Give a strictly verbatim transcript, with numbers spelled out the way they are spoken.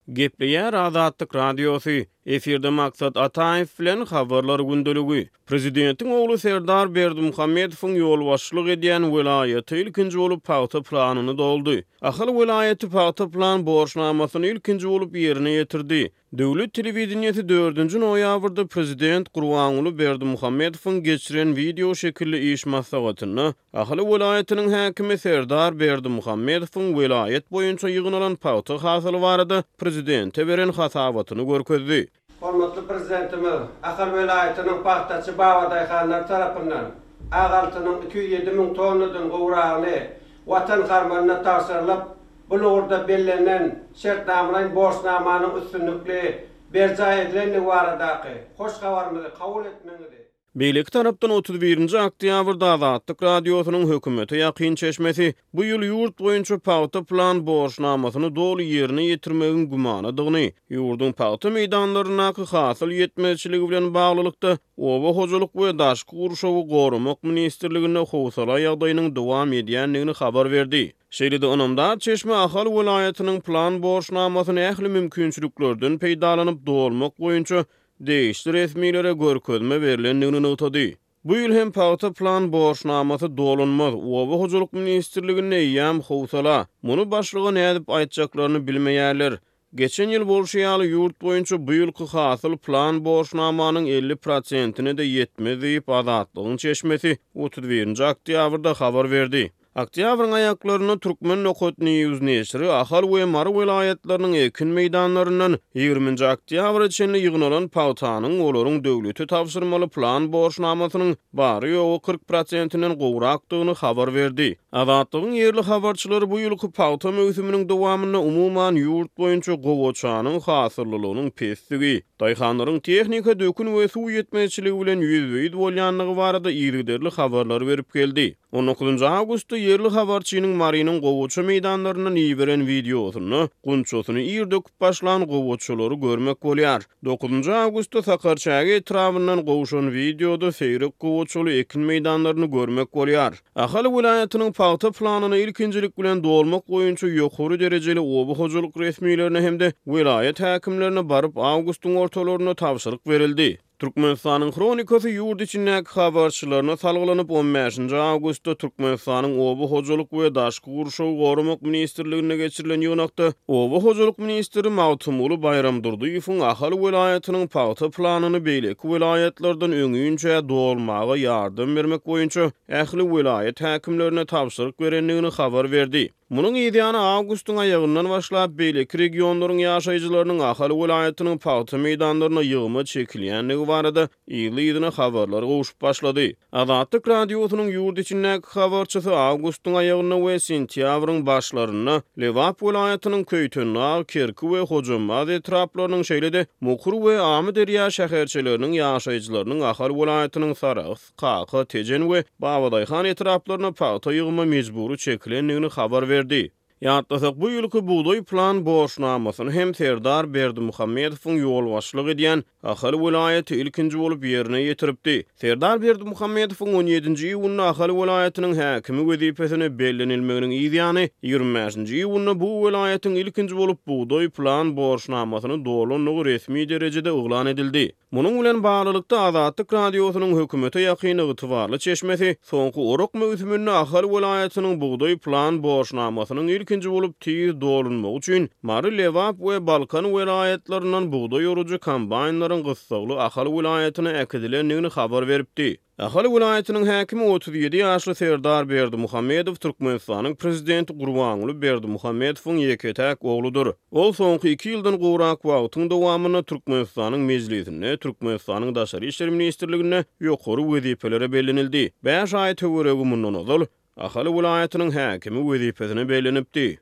Gepleýär Azatlyk Radiosy, efirde Maksat Ataýew bilen Habarlar gündeligi. Prezidentiň ogly Serdar Berdimuhamedowyň ýolbaşçylyk edýän welaýaty ilkinji bolup pagta planyny doldy. Ahal welaýaty pagta plan borçnamasyny ilkinji bolup ýerine ýetirdi. Döwlet telewideniýesi dördünji noýabrda prezident Gurbanguly Berdimuhamedowyň geçiren wideo şekilli iş maslahatynda Ahal welaýatynyň häkimi Serdar Berdimuhamedowyň welaýat boýunça ýygnalan pagta hasyly barada prezidente beren hasabatyny görkezdi. Hormatly Prezidentimiz Ahal welaýatynyň pagtaçy babadaýhanlary tarapyndan ak altynyň iki ýüz ýedi müň tonnadan gowragyny Watan harmanyna tabşyrylyp, bu ugurda bellenen şertnamalaýyn borçnamanyň üstünlikli berjaý edilendigi baradaky hoş habarymyzy kabul etmegiňizi Beýleki tarapdan otuz birinji oktýabrda Azatlyk Radiosynyň hökümete ýakyn çeşmesi bu ýyl ýurt boýunça pagta plan borçnamasyny doly ýerine ýetirmegiň gümanadygyny, ýurduň pagta meýdanlaryndaky hasyl ýetmezçiligi bilen baglylykda Oba hojalyk we daşky gurşawy goramak ministrliginde howsala ýagdaýynyň dowam edýändigini habar berdi. Şeýle-de ynamdar çeşme Ahal welaýatynyň plan borçnamasyny ähli mümkinçiliklerden peýdalanyp dolmak boýunça degişli resmilere görkezme berlendigini nygtady. Bu ýyl hem pagta plan borçnamasy dolunmaz, Oba hojalyk ministrliginde eýýäm howsala, muny başlyga nädip aýtjaklaryny bilmeýärler. Geçen ýyl bolşy ýaly ýurt boýunça bu ýylky hasyl plan borçnamanyň elli prosentine-de ýetmez diýip, Azatlygyň çeşmesi otuz birinji oktýabrda habar berdi. Oktýabryň aýaklarynda Turkmen nokat News neşiri Ahal we Mary welaýatlarynyň ekin meýdanlaryndan ýigriminji oktýabra çenli ýygnalan pagtanyň olaryň döwlete tabşyrmaly plan borçnamasynyň bary-ýogy kyrk prosentinden gowrakdygyny habar berdi. Azatlygyň ýerli habarçylary bu ýylky pagta möwsüminiň dowamynda umuman ýurt boýunça gowaçanyň hasyllylygynyň pesdigi, daýhanlaryň tehnika, dökün we suw ýetmezçiligi bilen ýüzbe-ýüz bolýandygy barada yzygiderli habarlary berip geldi. On dokuzynjy awgustda ýerli habarçynyň Marynyň gowaça meýdanlaryndan iberen wideosynda gunçasyny ir döküp başlan gowaçalary görmek bolýar. Dokuzynjy awgustda Sakarçäge etrabyndan gowşan wideoda seýrek gowaçaly ekin meýdanlaryny görmek bolýar. Ahal welaýatynyň pagta planyny ilkinjilik bilen dolmak boýunça ýokary derejeli oba hojalyk resmilerine hem-de welaýat häkimlerine baryp awgustyň ortalarynda tabşyryk berildi. Türkmenistanyň Hronikasy ýurt içindäki habarçylaryna salgylanyp, on bäşinji awgustda Türkmenistanyň Oba hojalyk we daşky gurşawy goramak ministrliginde geçirilen ýygnakda Oba hojalyk ministri Magtymguly Baýramdurdyýewiň Ahal welaýatynyň pagta planyny beýleki welaýatlardan öňinçä dolmaga ýardam bermek boýunça ähli welaýat häkimlerine tabşyryk berendigini habar berdi. Munuň yzýany awgustyň aýagyndan başlap beýleki regionlaryň ýaşaýjylarynyň Ahal welaýatynyň pagta meýdanlaryna ýygyma çekilýändigi barada yzly-yzyna habarlar gowşup başlady. Azatlyk Radiosynyň ýurt içindäki habarçysy awgustyň aýagynda we sentýabryň başlarynda Lebap welaýatynyň Köýtendag, Kerki we Hojambaz etraplarynyň şeýle-de Mukur we Amyderýa şäherçeleriniň ýaşaýjylarynyň Ahal welaýatynyň Sarahs, Kaka, Tejen we Babadaýhan etraplaryna pagta ýygyma mejbury çekilendigini habar berdi. Ýatlasak, bu ýylky bugdaý plan borçnamasyny hem Serdar Berdimuhamedowyň ýolbaşçylyk edýän Ahal welaýaty ilkinji bolup ýerine ýetiripdi. Serdar Berdimuhamedowyň on ýedinji iýunda Ahal welaýatynyň häkimi wezipesine bellenilmeginiň yzýany ýigrimi bäşinji iýunda bu welaýatyň ilkinji bolup bugdaý plan borçnamasyny dolandygy resmi derejede yglan edildi. Munuň bilen baglylykda Azatlyk Radiosynyň hökümete ýakyn ygtybarly çeşmesi soňky orak möwsüminde Ahal welaýatynyň bugdaý plan borçnamasynyň ilkinji bolup tiz dolunmagy üçin Mary, Lebap we Balkan welaýatlaryndan bugdaý orujy kombaýnlaryň gyssagly Ahal welaýatyna äkidilendigini habar beripdi. Ahal welaýatynyň häkimi otuz ýedi ýaşly Serdar Berdimuhamedow Türkmenistanyň prezidenti Gurbanguly Berdimuhamedowyň ýeke-täk ogludyr. Ol soňky iki ýyldan gowrak wagtyň dowamynda Türkmenistanyň Mejlisinde, Türkmenistanyň Daşary işler ministrliginde ýokary wezipelere bellenildi. Bäş aý töweregi mundan ozal Ahal welaýatynyň häkimi wezipesine bellenipdi.